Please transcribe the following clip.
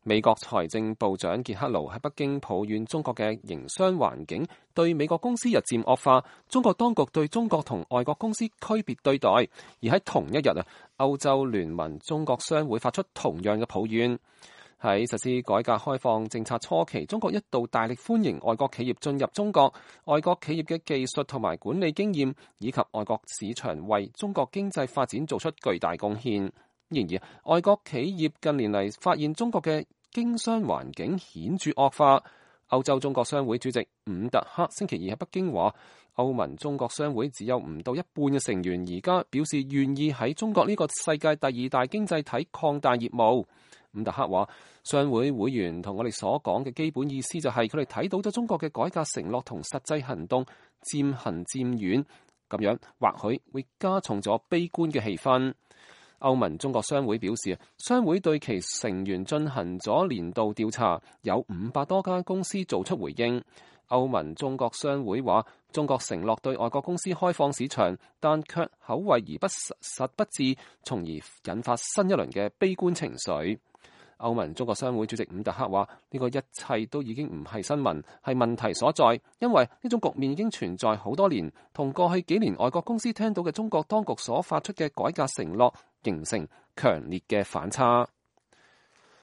美國財政部長傑克盧喺北京抱怨中國嘅營商環境對美國公司日漸惡化，中國當局對中國同外國公司區別對待。而喺同一日歐洲聯盟中國商會發出同樣嘅抱怨。喺實施改革開放政策初期，中國一度大力歡迎外國企業進入中國，外國企業嘅技術同埋管理經驗以及外國市場為中國經濟發展做出巨大貢獻。然而，外國企業近年嚟發現中國嘅經商環境顯著惡化。歐洲中國商會主席伍特克星期二喺北京話，歐盟中國商會只有唔到一半嘅成員而家表示願意喺中國呢個世界第二大經濟體擴大業務。伍特克話，商會會員同我哋所講嘅基本意思就係佢哋睇到咗中國嘅改革承諾同實際行動漸行漸遠，咁樣或許會加重咗悲觀嘅氣氛。歐盟中國商會表示，商會對其成員進行咗年度調查，有500多家公司做出回應。歐盟中國商會話，中國承諾對外國公司開放市場，但卻口惠而不實不至，從而引發新一輪嘅悲觀情緒。歐盟中國商會主席伍特克話，呢個一切都已經唔係新聞，係問題所在，因為呢種局面已經存在好多年，同過去幾年外國公司聽到嘅中國當局所發出嘅改革承諾形成強烈嘅反差。